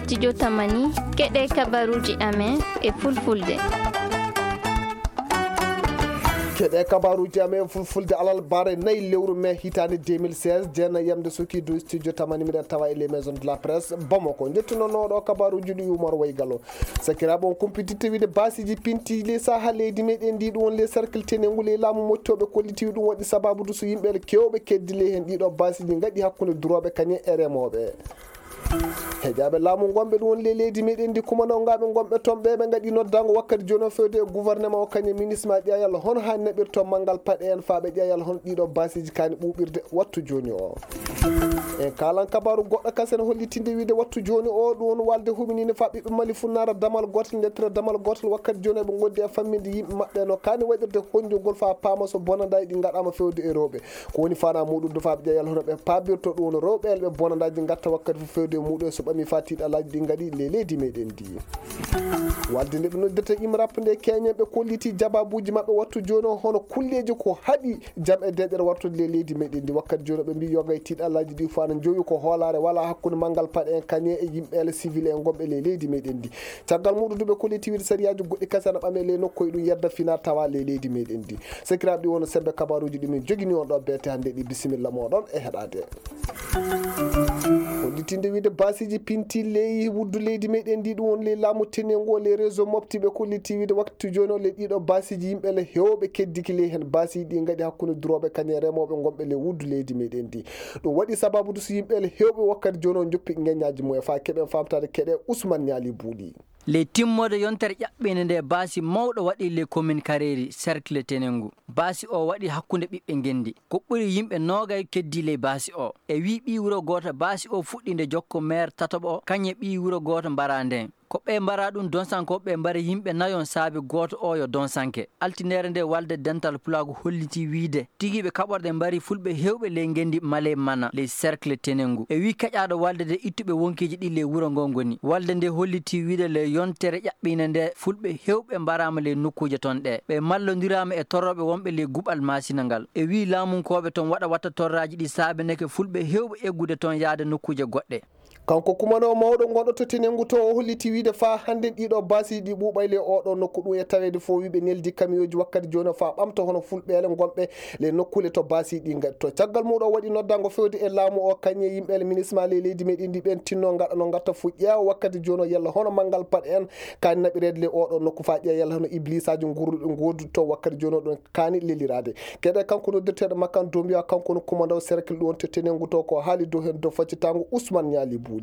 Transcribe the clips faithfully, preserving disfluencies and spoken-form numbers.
Studio Tamani, keɗe kabaruuji amen e fulfulde. Keɗe kabaruuji amen e fulfulde alarba nayi lewru mee hitaande deux mille seize, jeenayi yamde suki du studio Tamani, miɗen tawa e les maisons de la presse Bamako. Njettuno nooɗo kabaruuji ɗi Umar Waygalo. Sakiraaɓe, on kumpititte wiide baasiiji pinti ley saha leydi meɗen ndi, ɗum woni ley cercle tenengu ley laamu moƴƴooɓe kolliti ɗum waɗi sababu du so yimɓe kewɓe keddi ley heen ɗiɗo baasiiji ngaɗi hakkunde durooɓe kañum e remooɓe. Heƴaaɓe laamu ngonɓe ɗum woni ley leydi meɗen ndi, kumanawgaaɓe ngonɓe toon ɓe ɓe ngaɗi noddaango wakkati jooni o fewde e gouvernement o kañum e ministre ma ƴeewal hono haani naɓirto manngal paɗe en faa ɓe ƴeewal hono ɗiɗo baasiiji kaani ɓuuɓirde wattu jooni o. En kaalan kabaaru goɗɗo kasen hollitinde wiide wattu jooni o ɗum woni walde humininde faa ɓiɓɓe Mali funnaara damal gootal, ndettere damal gootal wakkati jooni ɓe ngondi e famminde yimɓe maɓɓe no kaani waɗirde honjogol faa paama so bonandaaji ɗi ngaɗaama fewde e rewɓe. Ko woni faanaa muuɗum du faa ɓe ƴeewal hono ɓe paabirto ɗum woni rewɓe elɓe bonandaaji ngatta wakkati fof fewde e muuɗum e so ɓami faa tiiɗalaaji ɗi ngaɗi ley leydi meɗen ndi. Walde nde ɓe noddirta imrap nde keñen ɓe kolliti jababuuji maɓɓe wattu jooni o hono kulleeji ko haɗi jam e deeƴere wartude ley leydi meɗen ndi. Wakkati jooni o ɓe mbii yoga e tiiɗalaaji ɗi fof ana njowi ko hoolaare wala hakkunde manngal paɗe en kañe e yimɓe ele civil en gonɓe ley leydi meɗen ndi. Caggal muuɗum du ɓe kolliti wiide sariyaaji goɗɗi kadi ana ɓame ley nokku e ɗum yedda fina tawa ley leydi meɗen ndi. Sakiraaɓe, ɗi woni sembe kabaruuji ɗi min jogini on ɗo beete hannde ɗi. Bisimilla mooɗon e heɗaade. Hollitinde wiide baasiiji pinti ley wuddu leydi meɗen ndi, ɗum woni ley laamu tenengu o ley réseau mofti ɓe kolliti wiide waktu jooni o ley ɗiɗo baasiiji yimɓe le heewɓe keddiki ley heen baasiiji ɗi ngaɗi hakkunde durooɓe kañum e remooɓe ngonɓe ley wuddu leydi meɗen ndi. Ɗum waɗi sababu du so yimɓe le heewɓe wakkati jooni o njoppi ngeññaaji mum e faa keɓen faamtaade keɗe Ousmane Ñaali Buuɗi. Ley timmoode yontere ƴaɓɓiinde nde baasi mawɗo waɗi ley commune Kareeri, cercle Tenengu. Baasi o waɗi hakkunde ɓiɓɓe ngenndi. Ko ɓuri yimɓe noogay keddii ley baasi o. E wii ɓii wuro gooto baasi o fuɗɗii nde jokko maire tataɓo o, kañum e ɓii wuro gooto mbaraa ndeen. Ko ɓe mbaraa ɗum donsankooɓe ɓe mbari yimɓe nayon saabe gooto o yo donsanke. Altineere nde walde dental pulaagu hollitii wiide tigi ɓe kaɓorɗe mbari fulɓe heewɓe ley ngenndi Male Mana ley cercle Tenengu. E wii keƴaaɗo walde nde ittuɓe wonkiiji ɗi ley wuro ngo ngoni. Walde nde hollitii wiide ley yontere ƴaɓɓiinde nde fulɓe heewɓe mbaraama ley nokkuuje toon ɗe. Ɓe mallondiraama e torrooɓe wonɓe ley guɓal maasina ngal. E wii laamunkooɓe toon waɗa watta torraaji ɗi saabeneke fulɓe heewɓe eggude toon yahde nokkuuje goɗɗe. Kanko kumanoo mawɗo ngonɗo to Tenengu to o holliti wiide faa hannde ɗiɗo baasiiji ɗi ɓuuɓay ley oɗo nokku ɗum e taweede fof wiiɓe neldi kamiyooji wakkati jooni o faa ɓamta hono fulɓeele ngonɓe ley nokkuule to baasiiji ɗi ngaɗi to. Caggal muuɗum o waɗi noddaango fewde e laamu o kañum e yimɓe ele ministre ma ley leydi meɗen ndi ɓen tinno ngaɗa no ngatta fof ƴeewa wakkati jooni o yalla hono manngal paɗe en kaani naɓireede ley oɗo nokku faa ƴeewa yalla hono iblisaaji ngurruɗi ngoodudi to wakkati jooni o ɗon kaani leliraade. Keɗe kanko noddirteeɗo makkan Dombiya, kanko no kumandaw cercle ɗum woni to Tenengu to ko haali dow heen dow faccitaango Ousmane Ñaali Buuɗi.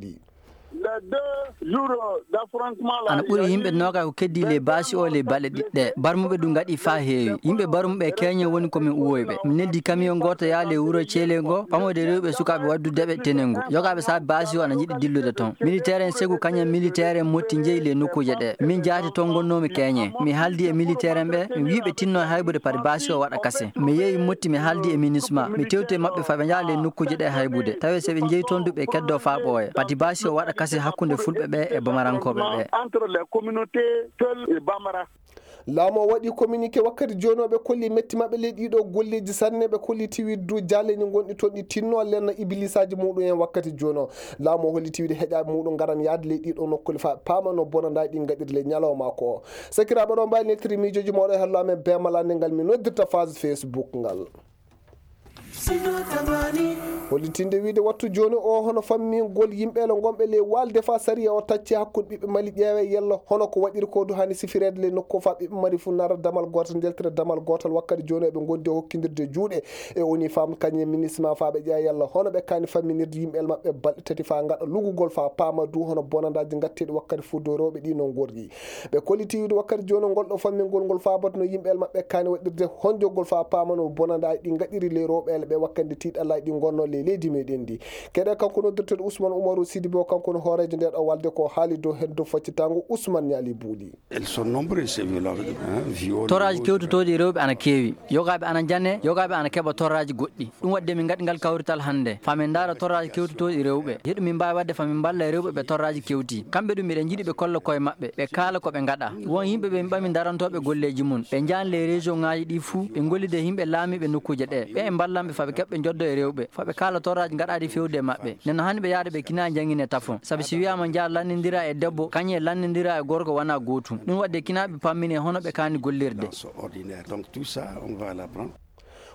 Ana ɓuri yimɓe noogay ko keddii ley baasi o ley baɗɗe ɗiɗɗe. Barmuɓe ɗum ngaɗi faa heewi. Yimɓe barmuɓe keñe woni ko min uwoyɓe. Mi neldi kamiyon gooto yaa ley wuro Ceele ngo, ɓamoyde rewɓe sukaaɓe waddude ɓe Tenengu. Yogaaɓe saabe baasi o ana njiɗi dillude toon. Militeer en segu kañum militeer en motti njeyi ley nokkuuje ɗe. Min jaati toon ngonnoomi keñe. Mi haaldi e militeer en ɓe, mi wii ɓe tinno haybude pati baasi o waɗa kase. Mi yehi motti mi haaldi e minisma. Mi tewti e maɓɓe faa ɓe njaha ley nokkuuje ɗe haybude. Tawi so ɓe njehi toon du ɓe keddoo faa ɓooya. Pati baasi o waɗa kase hakkunde fulɓe ɓe e bamarankooɓe ɓe. Entre les communautés Peul et Bambara. Laamu o waɗi communiqué wakkati jooni o ɓe kolli metti maɓɓe ley ɗiɗo golleeji sanne ɓe kolliti wiide du jaalleeji ngonɗi toon ɗi tinno lenna ibilisaaji muɗum en wakkati jooni o. Laamu o holliti wiide heƴaaɓe muɗum ngaran yahde ley ɗiɗo nokkuule faa paama no bonandaaji ɗi ngaɗiri ley ñalawma ko. Sakiraaɓe ɗo mbaawi neltiri miijooji mooɗo e hello amen beemalaande ngal min noddirta phase Facebook ngal. Hollitinde wiide wattu jooni o hono fammingol yimɓe ele ngonɓe ley walde faa sariya o tacci hakkunde ɓiɓɓe Mali ƴeewe yalla hono ko waɗiri ko du hani sifireede ley nokku faa ɓiɓɓe Mali fuu nara damal gootal njaltira damal gootal wakkati jooni o ɓe ngondi e hokkindirde juuɗe e woni fam kañum e ministre ma faa ɓe ƴeewa yalla hono ɓe kaani famminirde yimɓe ele maɓɓe balɗe tati faa ngaɗa lugugol faa paama du hono bonandaaji ngatteeɗi wakkati fuu dow rewɓe ɗi no ngorri. Ɓe kolliti wiide wakkati jooni ngol ɗo fammingol ngol faabatno yimɓe ele maɓɓe kaani waɗirde honjogol faa paamano bonandaaji ɗi ngaɗiri ley rewɓe ele ɓe wakkati tiiɗalaaji ɗi ngonno ley leydi meɗen ndi. Keɗe kanko noddirteeɗo Ousmane Oumarou Sidibé o kanko no hooreejo nde ɗo walde ko haali dow heddo faccitaango Ousmane Ñaali Buuɗi. Elles sont nombreuses ces violences, hein, viol. Toraaji kewtotooɗi e rewɓe ana keewi. Yogaaɓe ana njane, yogaaɓe ana keɓa torraaji goɗɗi. Ɗum waɗde min ngaɗi ngal kawrital hannde. Faa min ndaara torraaji kewtotooɗi rewɓe. Yeɗu min mbaawi waɗde faa min mballa e rewɓe ɓe torraaji kewti. Kamɓe ɗum miɗen njiɗi ɓe kolla koye maɓɓe. Ɓe kaala ko ɓe ngaɗa. Won yimɓe ɓe min ɓami darantooɓe golleeji mum. Ɓe njaani ley région ŋaaji ɗi fuu. Ɓe ngollida e yimɓe laamiiɓe nokkuuje ɗe. Ɓe e mballanɓe Fa ɓe keɓɓe njoddo e rewɓe, fa ɓe kaala torraaji gaɗaaɗi fewde e maɓɓe. Nden no hani ɓe yaade ɓe kina jangine tafon. Sabi si wiyaama njaa lannindira e debbo, kañum e lannindira e gorko wona gootum. Ɗum waɗde kina ɓe pammine hono ɓe kaani gollirde. Dans ce ordinaire. Donc tout ça, on va l'apprendre.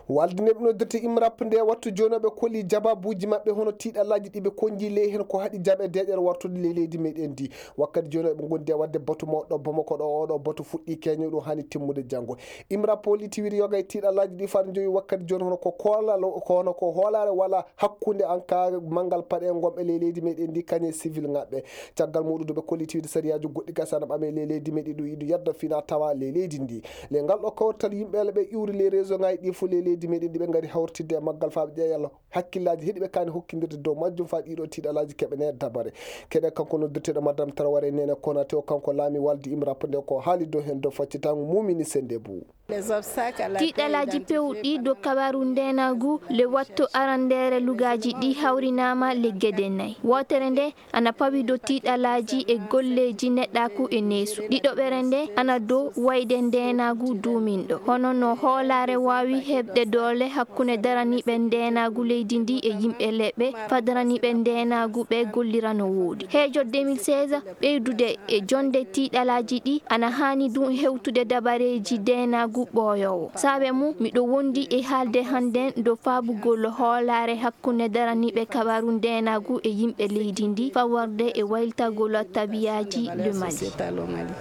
Walde nde ɓe noddirta imrap nde wattu jooni ɓe koli jababuuji maɓɓe hono tiiɗalaaji ɗi ɓe konji ley heen ko haɗi jaɓe deeƴere wartude ley leydi meɗen ndi. Wakkati jooni ɓe ngondi e waɗde batu mawɗo Bamako ɗo, oɗo batu fuɗɗi keño ɗum hani timmude janngo. Imrap holiti wiri yoga e tiiɗalaaji ɗi far joyi wakkati jooni hono ko koolal, ko hono ko hoolaare wala hakkunde an ka manngal paɗe ngonɓe ley leydi meɗen ndi kañe civil ngaɓɓe. Caggal muɗum ɓe kolliti wide sariyaaji goɗɗi gasana ɓame ley leydi meɗi ɗum iɗum yadda fina tawa ley leydi ndi. Le ngal ɗo kawrital yimɓe ele ɓe iwri ley réseau ngaji ɗi fof ley leydi meɗen ɗi ɓe ngari hawritidde e maggal faaɓe ƴeeyal hakkillaaji heɗi ɓe kaani hokkindirde dow majjum faa ɗiɗo tiiɗalaaji keɓene dabare. Keɗe kanko noddirteɗo madame Traoré nene Konate o kanko laami waldi imrap nde ko haali dow heen dow faccitango mumini sende bou. Tiiɗalaaji pewɗi dow kabaru ndeenaagu le wattu arandeere lugaaji ɗi hawrinaama le gede nayi. Wootere nde ana pawi dow tiiɗalaaji e golleeji neɗɗaaku e neesu. Ɗiɗoɓere nde ana dow wayde ndeenaagu duuminɗo. Hono no hoolaare waawi heɓde doole hakkunde daraniiɓe ndeenaagu leydi ndi e yimɓe leɓɓe, fa daraniiɓe ndeenaagu ɓe gollira no wooɗi. Heejo deux mille seize, ɓeydude e jonde tiiɗalaaji ɗi ana haani ɗum hewtude dabareeji ndeenaagu ɓooyoowo. Saabe mum, miɗo wondi e haalde hannden dow faabugol hoolaare hakkunde daraniiɓe kabaru ndeenaagu e yimɓe leydi ndi, fawarde e waylitagol tabiyaaji le Mali.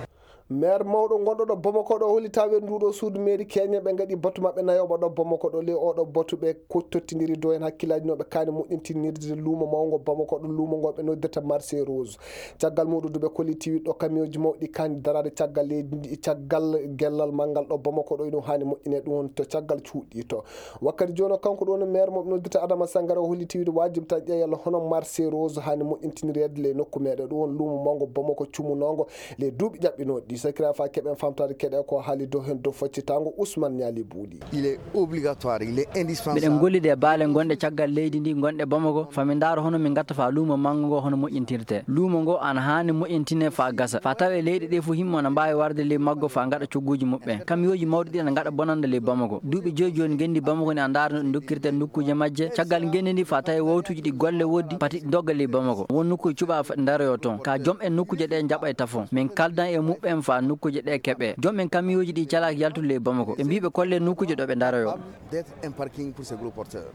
Maire mawɗo gonɗo ɗo Bamako ɗo holli tawe nduɗo suudu mairie Kenya ɓe ngaɗi batu maɓɓe nayoɓa ɗo Bamako ɗo. Le oɗo batu ɓe ko tottindiri dow heen hakkillaaji no ɓe kaani moƴƴintinirde luumo mawngo Bamako ɗo, luumo ngo ɓe noddirta marché rose. Caggal muɗum duɓe kolliti wiɗɗo kamiyoji mawɗi kaani daraade caggal leydi ndi, caggal gellal manngal ɗo Bamako ɗo, ino haani moƴƴine ɗum woni to caggal cuuɗi to. Wakkati jooni o kanko ɗum woni maire mo ɓe noddirta Adama Sangare o holliti wiide waajib tan ƴeewa yalla hono marché rose haani moƴƴintinireede ley nokku meɗen ɗum woni luumo mawngo Bamako cumunongo ley duuɓi ƴaɓɓinooɗi ɗi. Sakira fa keɓen famtaade keɗe ko haali dow heen dow faccitango Ousmane Niali Buuɗi. Il est obligatoire, il est indispensable. Miɗen gollida e baale gonɗe caggal leydi ndi gonɗe Bamako, fa min ndaaro hono min ngatta fa luumo manngo ngo hono moƴƴintirte. Luumo ngo ana haani moƴƴintine fa gasa. Fa tawe leyɗe ɗe fof himmo ana mbaawi warde ley maggo fa ngaɗa cogguuji muɓɓen. Kamiyooji mawɗi ɗi ana ngaɗa bonannde ley Bamako. Duuɓi joyi jooni ngenndi Bamako ni a ndaara no ɗi ndokkirte nokkuuje majje. Caggal ngenndi ndi fa tawi wawtuuji ɗi golle woodi pati ɗi ndogga ley Bamako. Won nokkuuje cuɓa fa ɗi ndaroyo toon. Ka joom en nokkuuje ɗe njaɓa e tafon. Min kaldan e muɓɓen fa nokkuuje ɗe keɓe. Joom en kamiyooji ɗi calaaki yaltude ley Bamako. Ɓe mbii ɓe kolle nokkuuje ɗo ɓe ndaroyo. D'être un parking pour ces gros porteurs.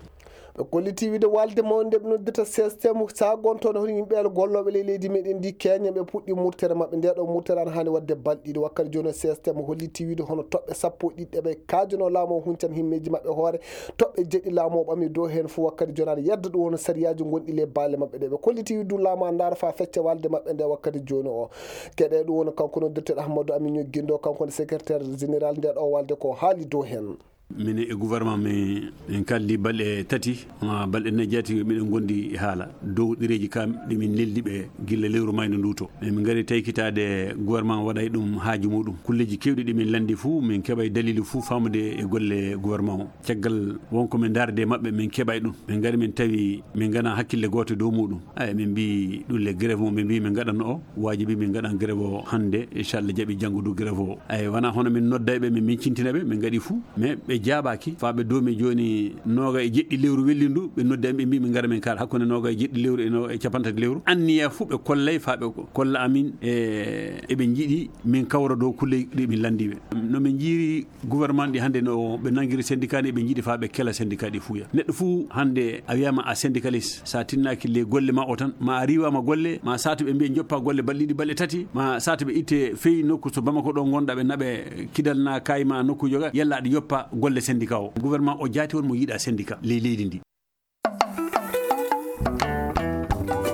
Ɓe kolliti wiide walde mawnde ɓe noddirta C S T M sagontoɗo hono yimɓe gollooɓe ley leydi meɗen ndi Kenya ɓe puɗɗi murtere maɓɓe. Nde ɗo murtere ana haani waɗde balɗe ɗiɗi. Wakkati jooni C S T M holliti wiide hono toɓɓe sappo e ɗiɗi ɗe ɓe kaajono laamu o huncan himmeeji maɓɓe hoore toɓɓe jeɗɗi laamu o ɓami dow heen fof. Wakkati jooni aɗa yedda ɗum woni sariyaaji gonɗi ley baale maɓɓe ɗe ɓe kolliti wiide ɗum laamu a ndaara fa fecce walde maɓɓe nde wakkati jooni o. Keɗe ɗum woni kanko noddirteɗo Ahmadou Amigno Guindo, kanko woni secrétaire général nde ɗo walde ko haali dow heen. Minen e gouvernement min, min kaldi balɗe tati, ma balɗe nayi jaati miɗen gondi e haala dow ɗereeji kam ɗi min neldi ɓe gilla lewru mayndo ndu to. Min ngari taykitaade gouvernement waɗay ɗum haaju muɗum. Kulleeji kewɗi ɗi min landi fuu, min keɓay dalilu fuu faamude e golle gouvernement o. Caggal wonko min ndaarde maɓɓe, min keɓay ɗum. Min ngari min tawi min ngana hakkille gooto dow muɗum. Ay, min mbi ɗum le grève mo min mbi min ngaɗanno o. Waajibi min ngaɗan grève o hannde, inchallah jaɓi janngo du grève o. Ay, wona hono min nodday ɓe, min, min cintina ɓe, min ngaɗi fuu. Mais ɓe jaabaaki, faa ɓe doomi jooni nooga e jeɗɗi lewru wellindu, ɓe noddi am, ɓe mbi min ngara min kaala. Hakkunde nooga e jeɗɗi lewru e no, e capantati lewru. Anniya fuu ɓe kollay, faa ɓe ko-, kolla amin, e, eɓe njiɗi min kawra dow kulle ɗi min landi ɓe. No min njiiri gouvernement ɗi hannde no ɓe nangiri syndicat ni, ɓe njiɗi faa ɓe kela syndicat ɗi fuuya. Neɗɗo fuu hannde a wiyama a syndicaliste, sa tinnaaki le golle ma o tan, ma a riiwama golle, ma saatu ɓe mbiya joppa golle balɗe ɗiɗi, balɗe tati, ma saatu ɓe itte feyi nokku to Bamako ɗo ngonɗa ɓe naɓe kidal na kayi ma nokku joga, yalla aɗa yoppa golle syndicat o. Gouvernement o jaati won mo yiɗa syndicat ley leydi ndi.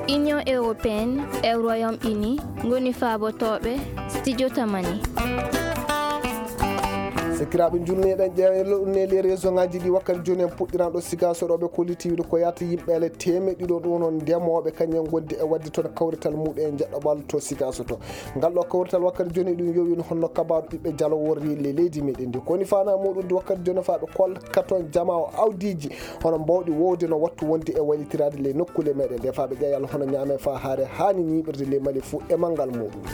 Union européenne e Royaume-Uni ngoni faabotooɓe studio Tamani. Sakiraaɓe, njulneɗen ƴeewa e loɗɗuneli e région ngaji ɗi wakkati jooni en puɗɗiranɗo Sigaso ɗo ɓe kolliti wiide ko yahata yimɓe ele teemeɗɗe ɗiɗo ɗum woni ndemooɓe kañum en gondi e waɗde toon kawrital muɗum e jeɗɗo ɓallo to Sigaso to. Ngal ɗo kawrital wakkati jooni ɗum yowino honno kabaaru ɓiɓɓe jalo worri le leydi meɗen ndi. Koni fana muɗum wakkati jooni faa ɓe kolka toon jama o awdiji hono mbawɗi wowde no wattu wonde e waylitiraade ley nokkule meɗen ɗe faa ɓe ƴeewa yalla hono ñaame faa haare haani ñiiɓirde ley Mali fuu e manngal muɗum.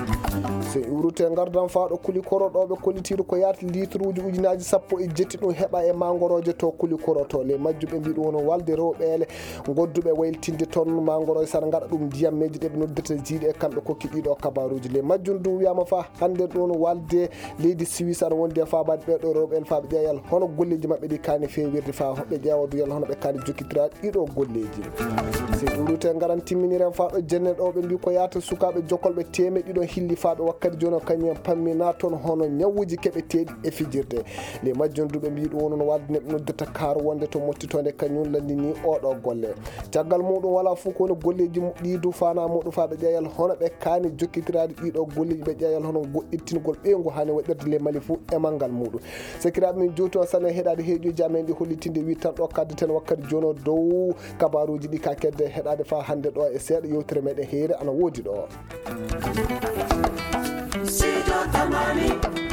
So en iwrute ngardan faa ɗo kuli koro ɗo ɓe kollitiiɗo ko yaati litre Ujunaaji sappo e jetti ɗum heɓa e mangorooje to Kulikoro to. Ley majjum ɓe mbii ɗum woni walde rewɓeele godduɓe waylitinde toon mangorooje, sara ngaɗa ɗum ndiyammeeji ɗe ɓe noddirta jiiɗe, e kamɓe kokki ɗiɗo kabaruuji. Ley majjum du wiyaama fa hannde ɗum woni walde leydi Suisse ana wondi e faabaade ɓee ɗo rewɓe en faaɓe ƴeewal hono golleeji maɓɓe ɗi kaani feewirde fa ɓe ƴeewa du yalla hono ɓe kaani jokkitiraade ɗiɗo golleeji. Si ɗuuɗute ngaran timminiren fa ɗo jenne ɗo ɓe mbii ko yaata sukaaɓe jokkolɓe teemeɗɗe ɗiɗo hilli faaɓe wakkati jooni o kañum en pammina toon hono ñawuuji keɓeteeɗi e fijirde. Ley majjum du ɓe mbii ɗum woni no walde neɗɗo noddirta kaaru wonde to mottitoonde kañum lanndini oɗo golle. Caggal muɗum wala fof ko woni golleeji mu-, ɗi du faana muɗum faaɓe ƴeewal hono ɓe kaani jokkitiraade ɗiɗo golleeji ɓe ƴeewal hono goɗɗittingol ɓeyngu haani waɗirde ley Mali fof e manngal muɗum. Sakiraaɓe min juuti on sanne heɗaade heeƴuuji amen ɗi hollitinde wi tan ɗo kaddeten wakkati jooni o dow kabaruuji ɗi ka kedde heɗaade fa hannde ɗo e seeɗa yewtere meɗen heere ana woodi ɗo. Sido Tamani.